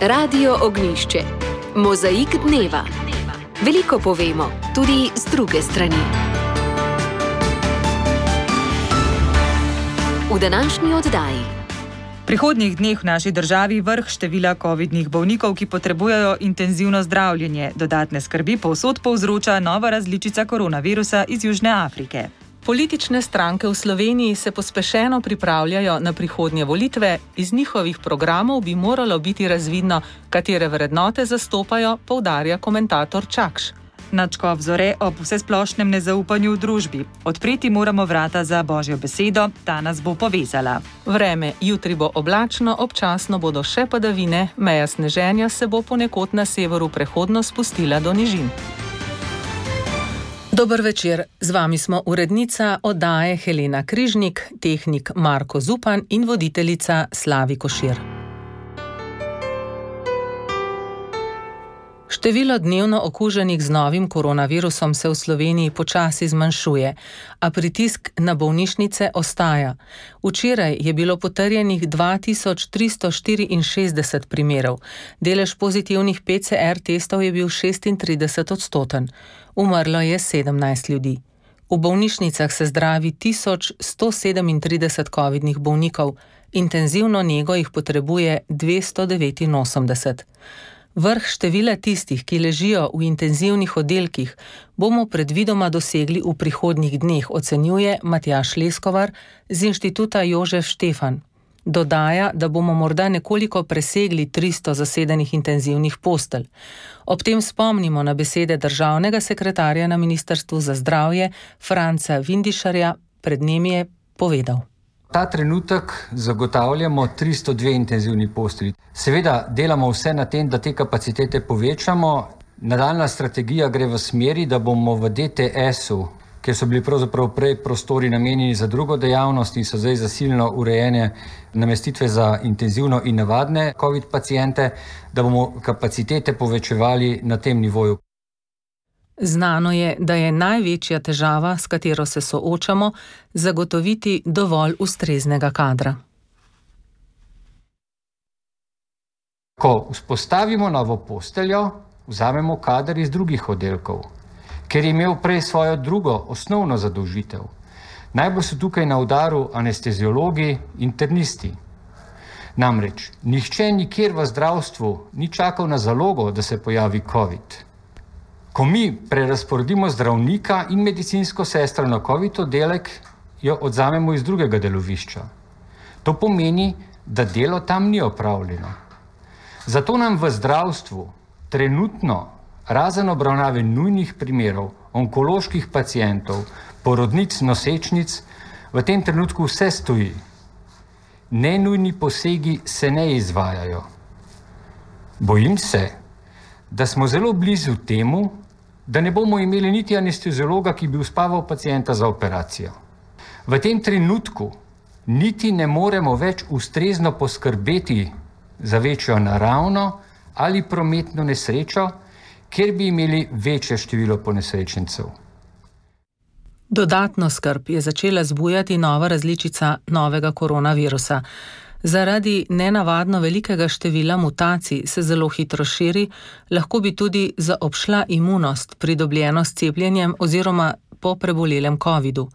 Radio Ognjišče. Mozaik dneva. Veliko povemo, tudi z druge strani. V današnji oddaji. V prihodnjih dneh v naši državi vrh števila covidnih bolnikov, ki potrebujejo intenzivno zdravljenje. Dodatne skrbi povsod povzroča nova različica koronavirusa iz Južne Afrike. Politične stranke v Sloveniji se pospešeno pripravljajo na prihodnje volitve, iz njihovih programov bi moralo biti razvidno, katere vrednote zastopajo, poudarja komentator Čakš. Nadškof Zore ob vsesplošnem nezaupanju v družbi. Odpreti moramo vrata za Božjo besedo, ta nas bo povezala. Vreme, jutri bo oblačno, občasno bodo še padavine, meja sneženja se bo ponekod na severu prehodno spustila do nižin. Dober večer, z vami smo urednica oddaje Helena Križnik, tehnik Marko Zupan in voditeljica Slavi Košir. Število dnevno okuženih z novim koronavirusom se v Sloveniji počasi zmanjšuje, a pritisk na bolnišnice ostaja. Včeraj je bilo potrjenih 2364 primerov. Delež pozitivnih PCR testov je bil 36%. Umrlo je 17 ljudi. V bolnišnicah se zdravi 1137 covidnih bolnikov, intenzivno nego jih potrebuje 289. Vrh števila tistih, ki ležijo v intenzivnih oddelkih, bomo predvidoma dosegli v prihodnjih dneh, ocenjuje Matjaž Leskovar z Inštituta Jožef Štefan. Dodaja, da bomo morda nekoliko presegli 300 zasedenih intenzivnih postelj. Ob tem spomnimo na besede državnega sekretarja na Ministrstvu za zdravje Franca Vindišarja, pred njim je povedal. Ta trenutek zagotavljamo 302 intenzivni postelji. Seveda delamo vse na tem, da te kapacitete povečamo. Nadaljna strategija gre v smeri, da bomo v DTS-u, kjer so bili pravzaprav prej prostori namenjeni za drugo dejavnost in so zdaj zasilno urejene namestitve za intenzivno in navadne COVID paciente, da bomo kapacitete povečevali na tem nivoju. Znano je, da je največja težava, s katero se soočamo, zagotoviti dovolj ustreznega kadra. Ko vzpostavimo novo posteljo, vzamemo kader iz drugih oddelkov, ker je imel prej svojo drugo osnovno zadolžitev. Najbolj so tukaj na udaru anesteziologi, internisti. Namreč, nihče nikjer v zdravstvu ni čakal na zalogo, da se pojavi COVID. Ko mi prerazporedimo zdravnika in medicinsko sestro na COVID oddelek, jo odzamemo iz drugega delovišča. To pomeni, da delo tam ni opravljeno. Zato nam v zdravstvu trenutno, razen obravnave nujnih primerov, onkoloških pacientov, porodnic, nosečnic, v tem trenutku vse stoji. Nenujni posegi se ne izvajajo. Bojim se, da smo zelo blizu temu, da ne bomo imeli niti anesteziologa, ki bi uspaval pacienta za operacijo. V tem trenutku niti ne moremo več ustrezno poskrbeti za večjo naravno ali prometno nesrečo, kjer bi imeli večje število ponesrečencev. Dodatno skrb je začela zbujati nova različica novega koronavirusa. Zaradi nenavadno velikega števila mutacij se zelo hitro širi, lahko bi tudi zaobšla imunost, pridobljeno s cepljenjem oziroma po prebolelem covidu.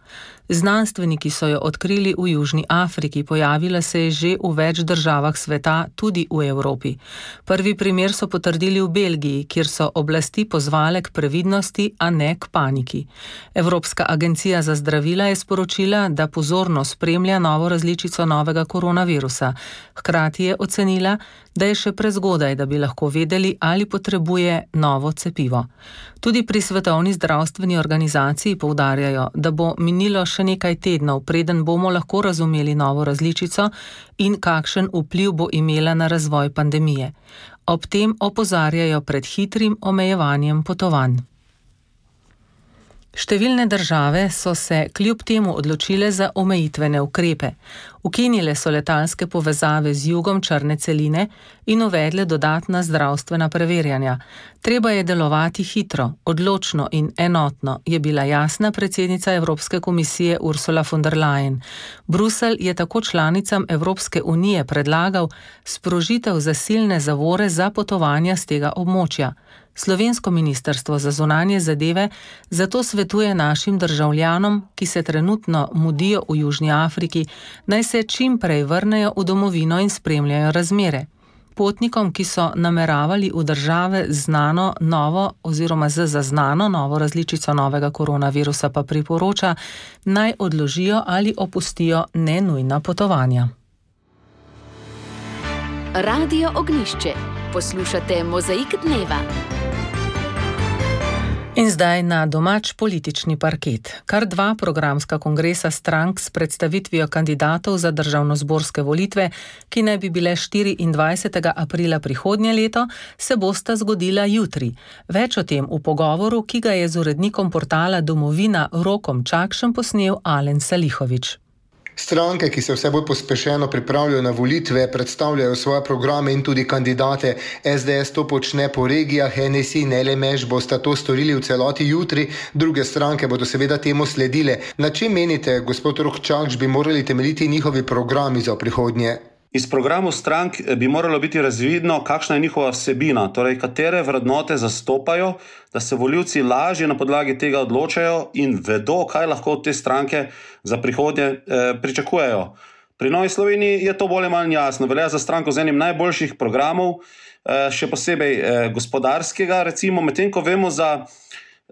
Znanstveniki so jo odkrili v Južni Afriki, pojavila se je že v več državah sveta, tudi v Evropi. Prvi primer so potrdili v Belgiji, kjer so oblasti pozvale k previdnosti, a ne k paniki. Evropska agencija za zdravila je sporočila, da pozorno spremlja novo različico novega koronavirusa. Hkrati je ocenila, da je še prezgodaj, da bi lahko vedeli, ali potrebuje novo cepivo. Tudi pri Svetovni zdravstveni organizaciji poudarjajo, da bo minilo še nekaj tednov, preden bomo lahko razumeli novo različico in kakšen vpliv bo imela na razvoj pandemije. Ob tem opozarjajo pred hitrim omejevanjem potovanj. Številne države so se kljub temu odločile za omejitvene ukrepe. Ukinile so letalske povezave z jugom črne celine in uvedle dodatna zdravstvena preverjanja. Treba je delovati hitro, odločno in enotno, je bila jasna predsednica Evropske komisije Ursula von der Leyen. Bruselj je tako članicam Evropske unije predlagal sprožitev zasilne zavore za potovanja z tega območja. Slovensko ministrstvo za zunanje zadeve zato svetuje našim državljanom, ki se trenutno mudijo v Južni Afriki, naj se čim prej vrnejo v domovino in spremljajo razmere. Potnikom, ki so nameravali v države znano novo oziroma z zaznano novo različico novega koronavirusa, pa priporoča, naj odložijo ali opustijo nenujna potovanja. Radio Ognjišče. Poslušate Mozaik dneva. In zdaj na domač politični parket. Kar 2 programska kongresa strank s predstavitvijo kandidatov za državnozborske volitve, ki naj bi bile 24. aprila prihodnje leto, se bosta zgodila jutri. Več o tem v pogovoru, ki ga je z urednikom portala Domovina Rokom Čakšem posnel Alen Salihović. Stranke, ki se vse bolj pospešeno pripravljajo na volitve, predstavljajo svoje programe in tudi kandidate. SDS to počne po regijah, NSI in LMŠ bosta to storili v celoti jutri, druge stranke bodo seveda temu sledile. Na čem menite, gospod Rok Čakš, bi morali temeljiti njihovi programi za prihodnje? Iz programov strank bi moralo biti razvidno, kakšna je njihova vsebina, torej katere vrednote zastopajo, da se volivci lažje na podlagi tega odločajo in vedo, kaj lahko od te stranke za prihodnje pričakujejo. Pri Novi Sloveniji je to bolj ali manj jasno. Velja za stranko z enim najboljših programov, še posebej gospodarskega, recimo, medtem ko vemo za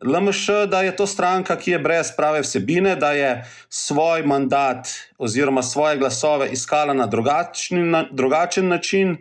LMŠ, da je to stranka, ki je brez prave vsebine, da je svoj mandat oziroma svoje glasove iskala na drugačen način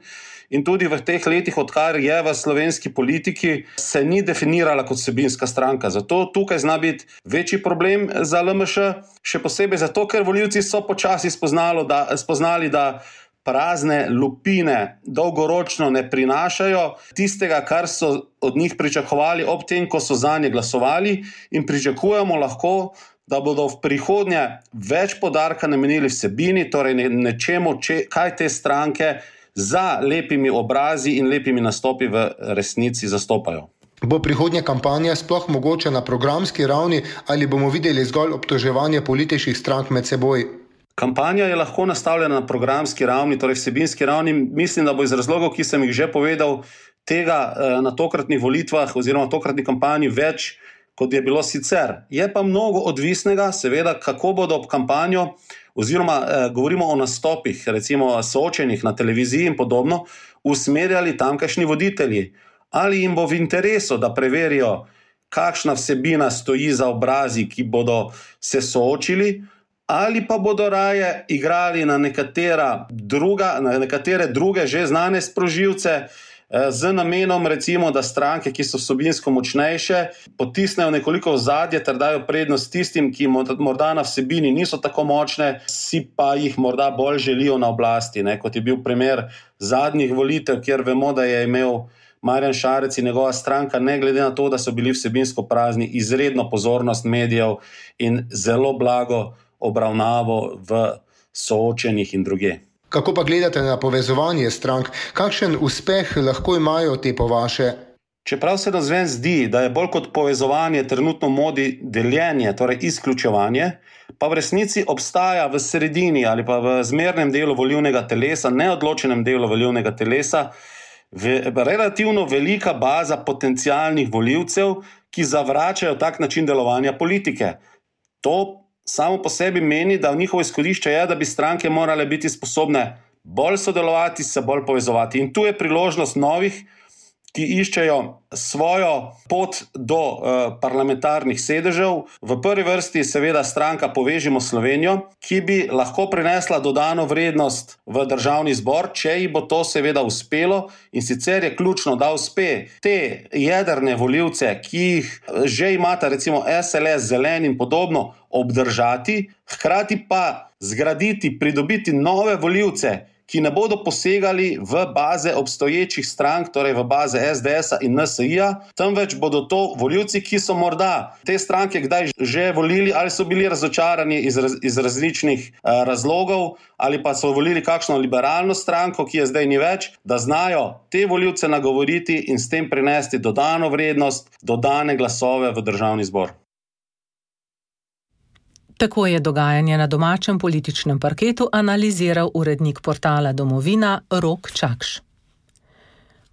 in tudi v teh letih, odkar je v slovenski politiki, se ni definirala kot vsebinska stranka. Zato tukaj zna biti večji problem za LMŠ, še posebej zato, ker volivci so počasi spoznali, da prazne lupine dolgoročno ne prinašajo tistega, kar so od njih pričakovali ob tem, ko so zanje glasovali, in pričakujemo lahko, da bodo v prihodnje več poudarka namenili vsebini, torej nečemu, kaj te stranke za lepimi obrazi in lepimi nastopi v resnici zastopajo. Bo prihodnja kampanja sploh mogoče na programski ravni ali bomo videli zgolj obtoževanje političnih strank med seboj? Kampanja je lahko nastavljena na programski ravni, torej vsebinski ravni. Mislim, da bo iz razlogov, ki sem jih že povedal, tega na tokratnih volitvah oziroma tokratni kampanji več, kot je bilo sicer. Je pa mnogo odvisnega, seveda, kako bodo ob kampanjo, oziroma govorimo o nastopih, recimo soočenih na televiziji in podobno, usmerjali tamkajšnji voditelji. Ali jim bo v interesu, da preverijo, kakšna vsebina stoji za obrazi, ki bodo se soočili, ali pa bodo raje igrali na nekatere druge že znane sprožilce z namenom, recimo, da stranke, ki so vsebinsko močnejše, potisnejo nekoliko v zadje ter dajo prednost tistim, ki morda na vsebini niso tako močne, si pa jih morda bolj želijo na oblasti, kot je bil primer zadnjih volitev, kjer vemo, da je imel Marjan Šarec in njegova stranka, ne glede na to, da so bili vsebinsko prazni, izredno pozornost medijev in zelo blago obravnavo v soočenih in druge. Kako pa gledate na povezovanje strank? Kakšen uspeh lahko imajo te po vaše? Čeprav se navzven zdi, da je bolj kot povezovanje trenutno modi deljenje, torej izključevanje, pa v resnici obstaja v sredini ali pa v zmernem delu volilnega telesa, neodločenem delu volilnega telesa, relativno velika baza potencialnih volivcev, ki zavračajo tak način delovanja politike. To samo po sebi meni, da v njihovo izhodišče je, da bi stranke morale biti sposobne bolj sodelovati, se bolj povezovati. In tu je priložnost novih, ki iščejo svojo pot do parlamentarnih sedežev. V prvi vrsti seveda stranka Povežimo Slovenijo, ki bi lahko prinesla dodano vrednost v državni zbor, če ji bo to seveda uspelo. In sicer je ključno, da uspe te jedrne volivce, ki jih že imata, recimo SLS, Zelen in podobno, obdržati, hkrati pa zgraditi, pridobiti nove volivce, ki ne bodo posegali v baze obstoječih strank, torej v baze SDS-a in NSI-ja, temveč bodo to volivci, ki so morda te stranke kdaj že volili ali so bili razočarani iz različnih razlogov ali pa so volili kakšno liberalno stranko, ki je zdaj ni več, da znajo te volivce nagovoriti in s tem prinesti dodano vrednost, dodane glasove v Državni zbor. Tako je dogajanje na domačem političnem parketu analiziral urednik portala Domovina Rok Čakš.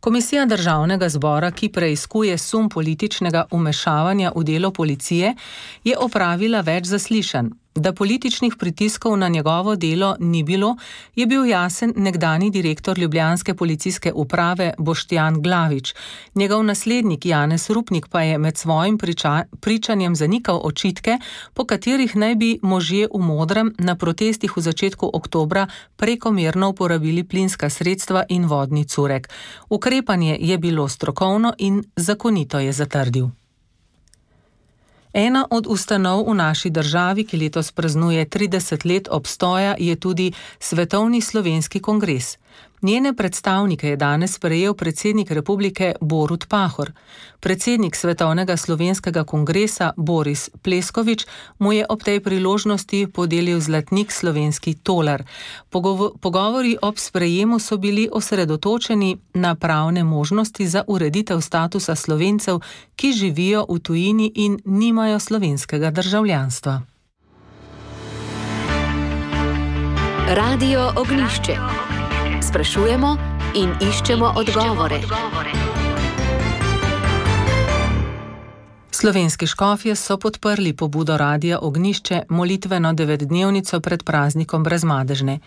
Komisija Državnega zbora, ki preiskuje sum političnega vmešavanja v delo policije, je opravila več zaslišanj. Da političnih pritiskov na njegovo delo ni bilo, je bil jasen nekdanji direktor ljubljanske policijske uprave Boštjan Glavič. Njegov naslednik Janez Rupnik pa je med svojim pričanjem zanikal očitke, po katerih naj bi možje v modrem na protestih v začetku oktobra prekomerno uporabili plinska sredstva in vodni curek. Ukrepanje je bilo strokovno in zakonito, je zatrdil. Ena od ustanov v naši državi, ki letos praznuje 30 let obstoja, je tudi Svetovni slovenski kongres. Njene predstavnike je danes sprejel predsednik republike Borut Pahor. Predsednik Svetovnega slovenskega kongresa Boris Pleskovič mu je ob tej priložnosti podelil zlatnik slovenski tolar. Pogovori ob sprejemu so bili osredotočeni na pravne možnosti za ureditev statusa Slovencev, ki živijo v tujini in nimajo slovenskega državljanstva. Radio Ognjišče. Sprašujemo in iščemo odgovore. Slovenski škofje so podprli pobudo Radia Ognjišče molitveno 9-dnevnico pred praznikom Brezmadežne.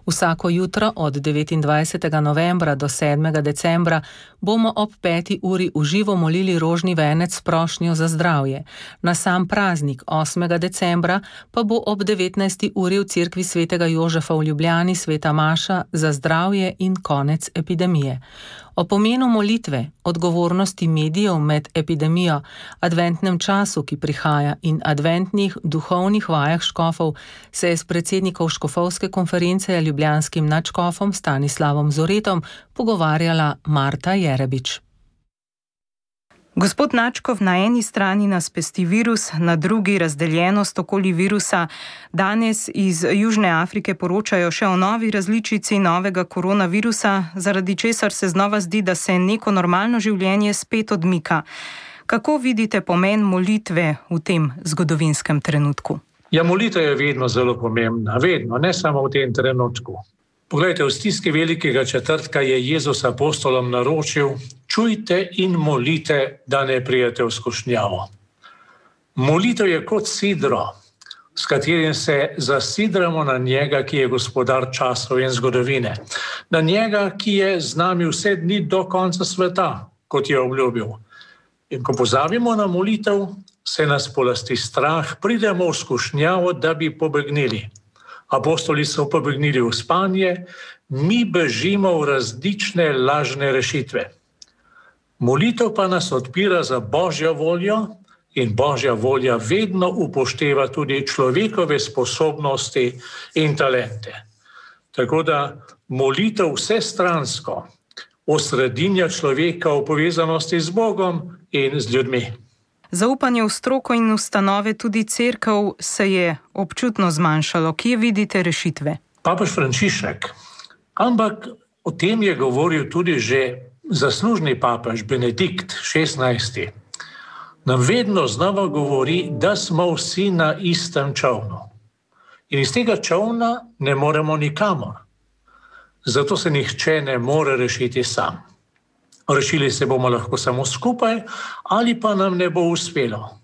Vsako jutro od 29. novembra do 7. decembra bomo ob 5. uri v živo molili rožni venec s prošnjo za zdravje. Na sam praznik 8. decembra pa bo ob 19. uri v cerkvi svetega Jožefa v Ljubljani sveta maša za zdravje in konec epidemije. O pomenu molitve, odgovornosti medijev med epidemijo, adventnem času, ki prihaja, in adventnih duhovnih vajah škofov se je s predsednikom škofovske konference ljubljanskim nadškofom Stanislavom Zoretom pogovarjala Marta Jerebič. Gospod Nadškof, na eni strani nas pesti virus, na drugi razdeljenost okoli virusa. Danes iz Južne Afrike poročajo še o novi različici novega koronavirusa, zaradi česar se znova zdi, da se neko normalno življenje spet odmika. Kako vidite pomen molitve v tem zgodovinskem trenutku? Ja, molitev je vedno zelo pomembna, vedno, ne samo v tem trenutku. Poglejte, v stiski velikega četrtka je Jezus apostolom naročil: čujte in molite, da ne prijete v skušnjavo. Molitev je kot sidro, s katerim se zasidramo na njega, ki je gospodar časov in zgodovine. Na njega, ki je z nami vse dni do konca sveta, kot je obljubil. In ko pozabimo na molitev, se nas polasti strah, pridemo v skušnjavo, da bi pobegnili. Apostoli so pobegnili v spanje, mi bežimo v različne lažne rešitve. Molitev pa nas odpira za Božjo voljo in Božja volja vedno upošteva tudi človekove sposobnosti in talente. Tako da molitev vsestransko osredinja človeka v povezanosti z Bogom in z ljudmi. Zaupanje v stroko in ustanove, tudi cerkev, se je občutno zmanjšalo. Kje vidite rešitve? Papež Frančišek, ampak o tem je govoril tudi že zaslužni papež Benedikt XVI. Nam vedno znova govori, da smo vsi na istem čolnu. In iz tega čolna ne moremo nikamor. Zato se nihče ne more rešiti sam. Rešili se bomo lahko samo skupaj, ali pa nam ne bo uspelo.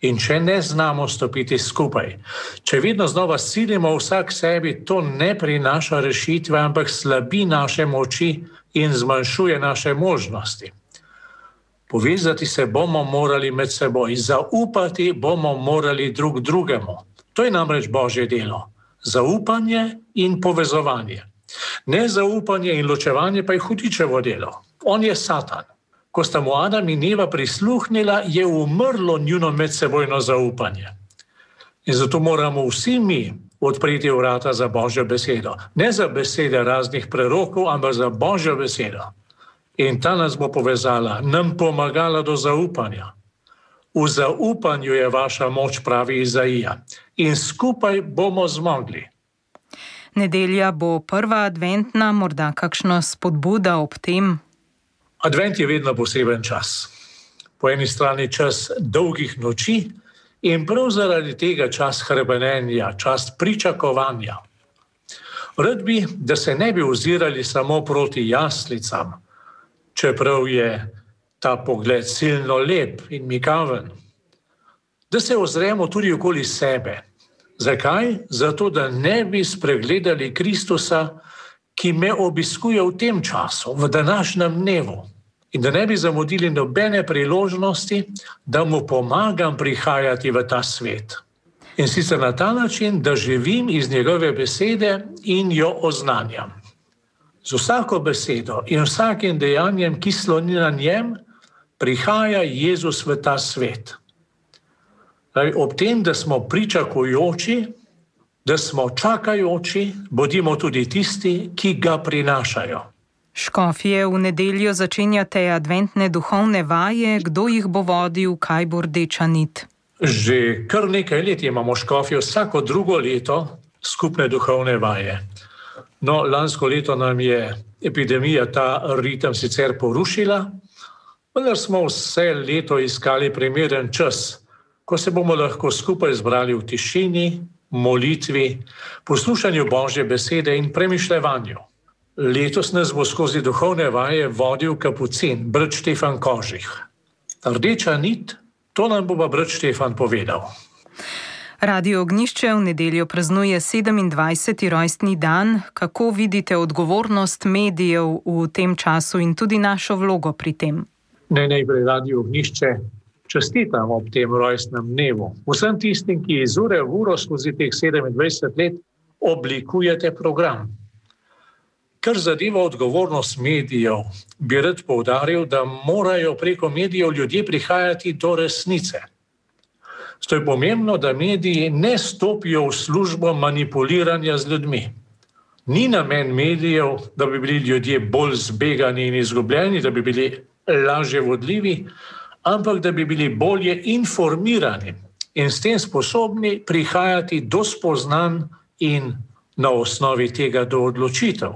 In če ne znamo stopiti skupaj, če vedno znova silimo vsak sebi, to ne prinaša rešitve, ampak slabi naše moči in zmanjšuje naše možnosti. Povezati se bomo morali med seboj, zaupati bomo morali drug drugemu. To je namreč Božje delo. Zaupanje in povezovanje. Nezaupanje in ločevanje pa je hudičevo delo. On je Satan. Ko sta mu Adam in Eva prisluhnila, je umrlo njuno medsebojno zaupanje. In zato moramo vsi mi odpreti vrata za Božjo besedo. Ne za besede raznih prerokov, ampak za Božjo besedo. In ta nas bo povezala, nam pomagala do zaupanja. V zaupanju je vaša moč, pravi Izaija. In skupaj bomo zmogli. Nedelja bo prva adventna, morda kakšna spodbuda ob tem? Advent je vedno poseben čas. Po eni strani čas dolgih noči in prav zaradi tega čas hrepenenja, čas pričakovanja. Rad bi, da se ne bi ozirali samo proti jaslicam, čeprav je ta pogled silno lep in mikaven. Da se ozremo tudi okoli sebe. Zakaj? Zato, da ne bi spregledali Kristusa, ki me obiskuje v tem času, v današnjem dnevu. In da ne bi zamudili nobene priložnosti, da mu pomagam prihajati v ta svet. In sicer na ta način, da živim iz njegove besede in jo oznanjam. Z vsako besedo in vsakim dejanjem, ki sloni na njem, prihaja Jezus v ta svet. Ob tem, da smo pričakujoči, da smo čakajoči, bodimo tudi tisti, ki ga prinašajo. Škofje, v nedeljo začenjate adventne duhovne vaje. Kdo jih bo vodil, kaj bo rdeča nit? Že kar nekaj let imamo škofje vsako drugo leto skupne duhovne vaje. No, lansko leto nam je epidemija ta ritem sicer porušila, vendar smo vse leto iskali primeren čas, ko se bomo lahko skupaj zbrali v tišini, molitvi, poslušanju Božje besede in premišljevanju. Letos nas bo skozi duhovne vaje vodil kapucin, brat Štefan Kožih. Rdeča nit, to nam bo brat Štefan povedal. Radio Ognjišče v nedeljo praznuje 27. rojstni dan. Kako vidite odgovornost medijev v tem času in tudi našo vlogo pri tem? Najprej Radio Ognjišče čestitam ob tem rojstnem dnevu. Vsem tistim, ki iz ure v uro skozi teh 27 let oblikujete program. Kar zadeva odgovornost medijev, bi rad poudaril, da morajo preko medijev ljudje prihajati do resnice. Zato je pomembno, da mediji ne stopijo v službo manipuliranja z ljudmi. Ni namen medijev, da bi bili ljudje bolj zbegani in izgubljeni, da bi bili lažje vodljivi, ampak da bi bili bolje informirani in s tem sposobni prihajati do spoznanj in na osnovi tega do odločitev.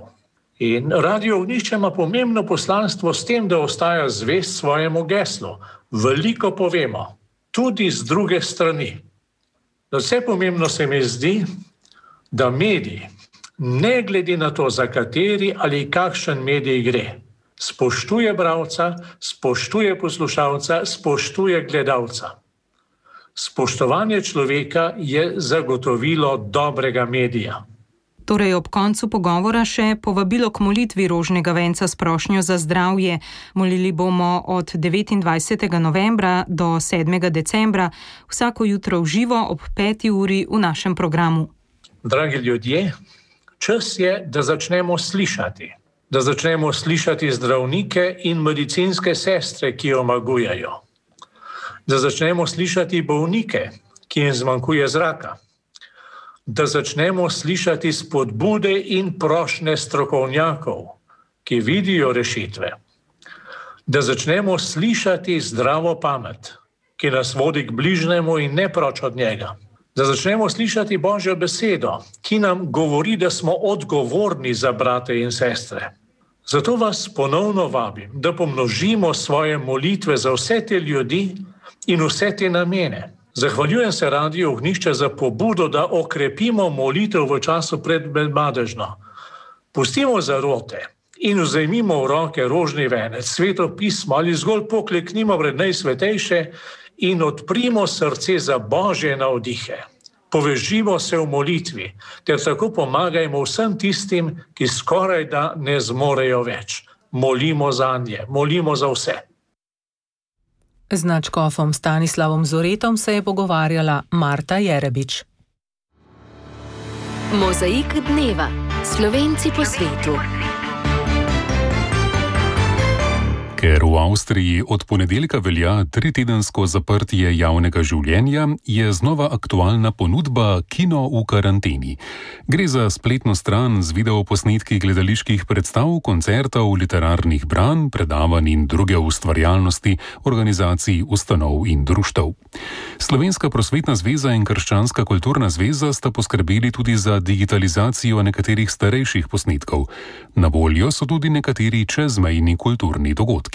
In Radio Ognjišče ima pomembno poslanstvo s tem, da ostaja zvest svojemu geslu. Veliko povemo, tudi z druge strani. Vse pomembno se mi zdi, da mediji, ne glede na to, za kateri ali kakšen medij gre, spoštuje bralca, spoštuje poslušalca, spoštuje gledalca. Spoštovanje človeka je zagotovilo dobrega medija. Torej ob koncu pogovora še povabilo k molitvi rožnega venca s prošnjo za zdravje. Molili bomo od 29. novembra do 7. decembra, vsako jutro v živo ob 5. uri v našem programu. Dragi ljudje, čas je, da začnemo slišati. Da začnemo slišati zdravnike in medicinske sestre, ki omagujejo. Da začnemo slišati bolnike, ki jim zmanjkuje zraka. Da začnemo slišati spodbude in prošnje strokovnjakov, ki vidijo rešitve. Da začnemo slišati zdravo pamet, ki nas vodi k bližnjemu in ne proč od njega. Da začnemo slišati Božjo besedo, ki nam govori, da smo odgovorni za brate in sestre. Zato vas ponovno vabim, da pomnožimo svoje molitve za vse te ljudi in vse te namene. Zahvaljujem se Radio Ognjišče za pobudo, da okrepimo molitev v času pred medmadežno. Pustimo zarote in vzemimo v roke rožni venec, sveto pismo ali zgolj pokleknimo pred najsvetejše in odprimo srce za Božje navdihe. Povežimo se v molitvi, ter tako pomagajmo vsem tistim, ki skoraj da ne zmorejo več. Molimo zanje, molimo za vse. Z nadškofom Stanislavom Zoretom se je pogovarjala Marta Jerebič. Mozaik dneva. Slovenci po svetu. Ker v Avstriji od ponedeljka velja 3-tedensko zaprtje javnega življenja, je znova aktualna ponudba Kino v karanteni. Gre za spletno stran z videoposnetki gledaliških predstav, koncertov, literarnih branj, predavanj in druge ustvarjalnosti, organizacij, ustanov in društev. Slovenska prosvetna zveza in Krščanska kulturna zveza sta poskrbeli tudi za digitalizacijo nekaterih starejših posnetkov. Na voljo so tudi nekateri čezmejni kulturni dogodki.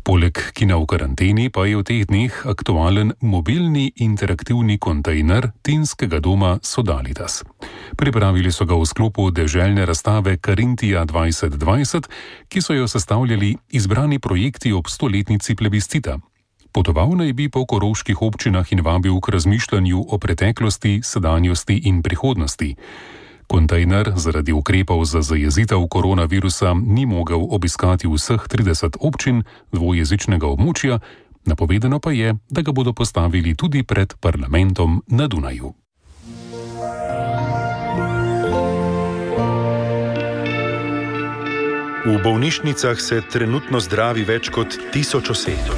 Poleg Kina v karanteni pa je v teh dneh aktualen mobilni interaktivni kontejner Tinskega doma Sodalitas. Pripravili so ga v sklopu deželne razstave Karintija 2020, ki so jo sestavljali izbrani projekti ob 100-letnici plebiscita. Potoval naj bi po koroških občinah in vabil k razmišljanju o preteklosti, sedanjosti in prihodnosti. Kontejner zaradi ukrepov za zajezitev koronavirusa ni mogel obiskati vseh 30 občin dvojezičnega območja, napovedano pa je, da ga bodo postavili tudi pred parlamentom na Dunaju. V bolnišnicah se trenutno zdravi več kot 1000 oseb.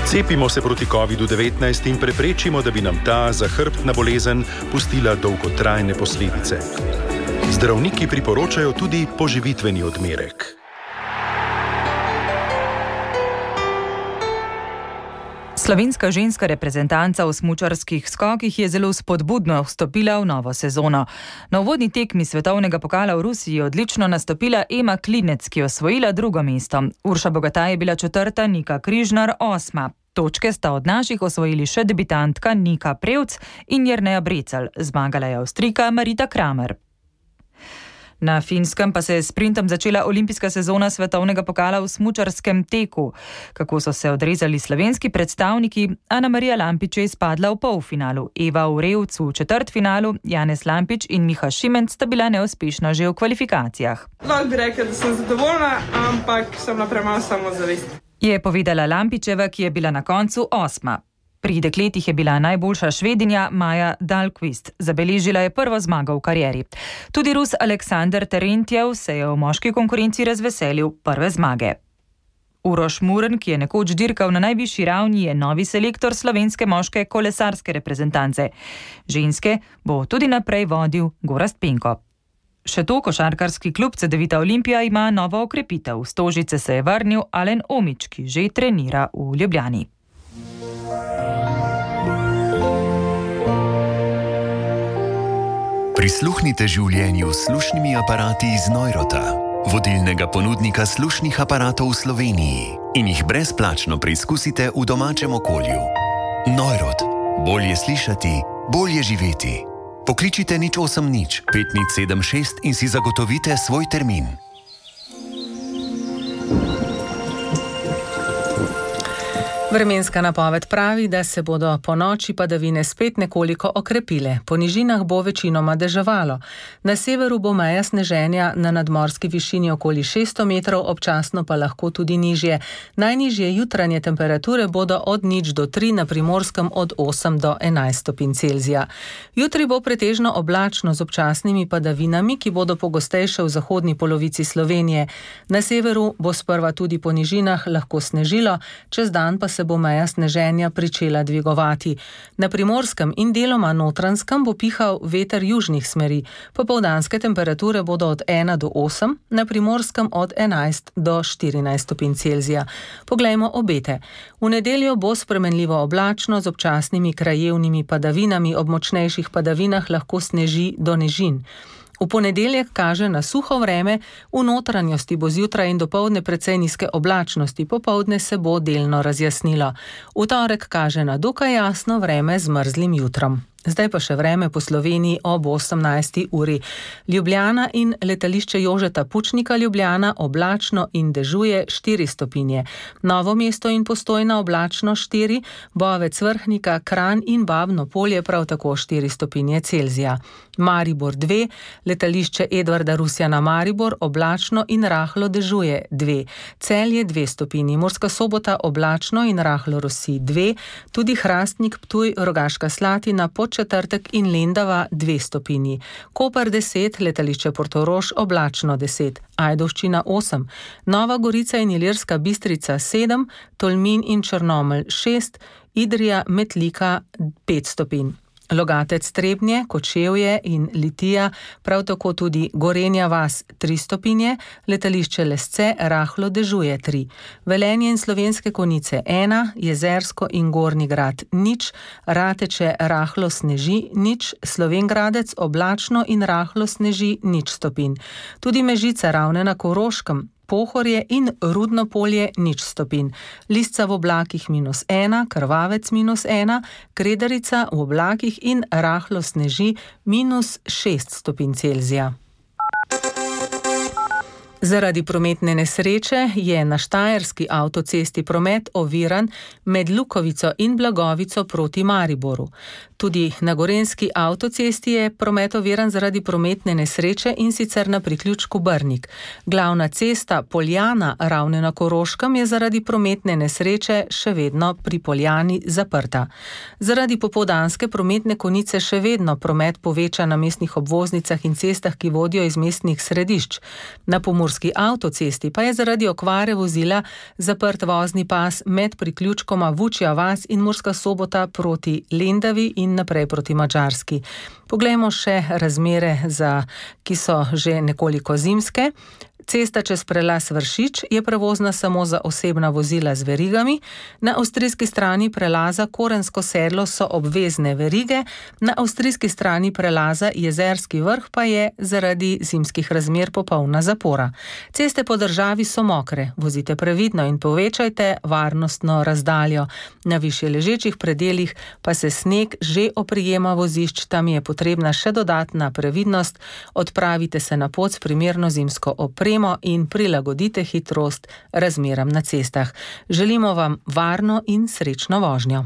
Cepimo se proti COVID-19 in preprečimo, da bi nam ta zahrbtna bolezen pustila dolgotrajne posledice. Zdravniki priporočajo tudi poživitveni odmerek. Slovenska ženska reprezentanca v smučarskih skokih je zelo spodbudno vstopila v novo sezono. Na uvodni tekmi svetovnega pokala v Rusiji je odlično nastopila Ema Klinec, ki je osvojila 2. mesto. Urša Bogataj je bila 4., Nika Križnar 8. Točke sta od naših osvojili še debitantka Nika Prevc in Jerneja Brecelj. Zmagala je Avstrijka Marita Kramer. Na Finskem pa se je s sprintom začela olimpijska sezona svetovnega pokala v smučarskem teku. Kako so se odrezali slovenski predstavniki, Ana Marija Lampič je izpadla v polfinalu. Eva Urevc v četrtfinalu, Janez Lampič in Miha Šimenc sta bila neuspešna že v kvalifikacijah. Lahko bi rekla, da sem zadovoljna, ampak sem na premalo samozavesti. Je povedala Lampičeva, ki je bila na koncu 8. Pri dekletih je bila najboljša Švedinja Maja Dahlqvist. Zabeležila je prvo zmago v karieri. Tudi Rus Aleksander Terentjev se je v moški konkurenci razveselil prve zmage. Uroš Muren, ki je nekoč dirkal na najvišji ravni, je novi selektor slovenske moške kolesarske reprezentance. Ženske bo tudi naprej vodil Gorazd Penko. Še to, košarkarski klub Cedevita Olimpija ima novo okrepitev. V Stožice se je vrnil Alen Omić, ki že trenira v Ljubljani. Prisluhnite življenju s slušnimi aparati iz Neurota, vodilnega ponudnika slušnih aparatov v Sloveniji, in jih brezplačno preizkusite v domačem okolju. Neurot. Bolje slišati, bolje živeti. Pokličite 080 5076 in si zagotovite svoj termin. Vremenska napoved pravi, da se bodo po noči padavine spet nekoliko okrepile. Po nižinah bo večinoma deževalo. Na severu bo meja sneženja na nadmorski višini okoli 600 metrov, občasno pa lahko tudi nižje. Najnižje jutranje temperature bodo od 0 do 3, na Primorskem od 8 do 11 stopinj Celzija. Jutri bo pretežno oblačno z občasnimi padavinami, ki bodo pogostejše v zahodni polovici Slovenije. Na severu bo sprva tudi po nižinah lahko snežilo, čez dan pa se bo meja sneženja pričela dvigovati. Na Primorskem in deloma Notranjskem bo pihal veter južnih smeri. Popoldanske temperature bodo od 1 do 8, na Primorskem od 11 do 14 stopinj Celzija. Poglejmo obete. V nedeljo bo spremenljivo oblačno z občasnimi krajevnimi padavinami, ob močnejših padavinah lahko sneži do nežin. V ponedeljek kaže na suho vreme, v notranjosti bo zjutraj in dopoldne precej nizke oblačnosti, popoldne se bo delno razjasnilo. V torek kaže na dokaj jasno vreme z mrzlim jutrom. Zdaj pa še vreme po Sloveniji ob 18. uri. Ljubljana in letališče Jožeta Pučnika Ljubljana oblačno in dežuje 4 stopinje. Novo mesto in Postojna oblačno 4, Bovec Vrhnika, Kranj in Babno Polje prav tako 4 stopinje Celzija. Maribor 2, letališče Edvarda Rusjana Maribor oblačno in rahlo dežuje 2. Celje 2 stopinji, Murska Sobota oblačno in rahlo rosi 2, tudi Hrastnik, Ptuj, Rogaška Slatina, Podčetrtek in Lendava 2 stopinji, Koper 10, letališče Portorož oblačno 10, Ajdovščina 8, Nova Gorica in Ilirska Bistrica 7, Tolmin in Črnomelj 6, Idrija Metlika 5 stopinj. Logatec Trebnje, Kočevje in Litija, prav tako tudi Gorenja vas 3 stopinje, letališče Lesce rahlo dežuje 3, Velenje in Slovenske Konjice 1, Jezersko in Gornji Grad 0, Rateče rahlo sneži 0, Slovengradec oblačno in rahlo sneži 0 stopinj. Tudi Mežica, Ravne na Koroškem, Pohorje in Rudno Polje 0 stopinj, Lisca v oblakih -1, Krvavec -1, Kredarica v oblakih in rahlo sneži -6 stopinj Celzija. Zaradi prometne nesreče je na štajerski avtocesti promet oviran med Lukovico in Blagovico proti Mariboru. Tudi na gorenjski avtocesti je promet oviran zaradi prometne nesreče in sicer na priključku Brnik. Glavna cesta Poljana Ravne na Koroškem je zaradi prometne nesreče še vedno pri Poljani zaprta. Zaradi popoldanske prometne konice še vedno promet poveča na mestnih obvoznicah in cestah, ki vodijo iz mestnih središč. Na pomurski avtocesti pa je zaradi okvare vozila zaprt vozni pas med priključkoma Vučja vas in Murska Sobota proti Lendavi in naprej proti Madžarski. Poglejmo še razmere, ki so že nekoliko zimske. Cesta čez prelaz Vršič je prevozna samo za osebna vozila z verigami. Na avstrijski strani prelaza Korensko sedlo so obvezne verige, na avstrijski strani prelaza Jezerski vrh pa je zaradi zimskih razmer popolna zapora. Ceste po državi so mokre, vozite previdno in povečajte varnostno razdaljo. Na višje ležečih predelih pa se sneg že oprijema vozišč, tam je potrebna še dodatna previdnost. Odpravite se na pot s primerno zimsko opremo in prilagodite hitrost razmeram na cestah. Želimo vam varno in srečno vožnjo.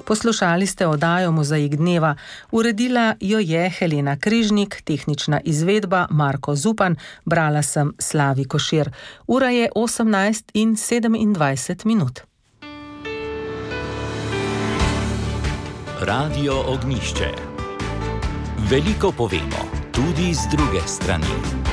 Poslušali ste oddajo Mozaik dneva. Uredila jo je Helena Križnik, tehnična izvedba Marko Zupan, brala sem Slavi Košir. Ura je 18:27. Radio Ognjišče. Veliko povemo, tudi z druge strani.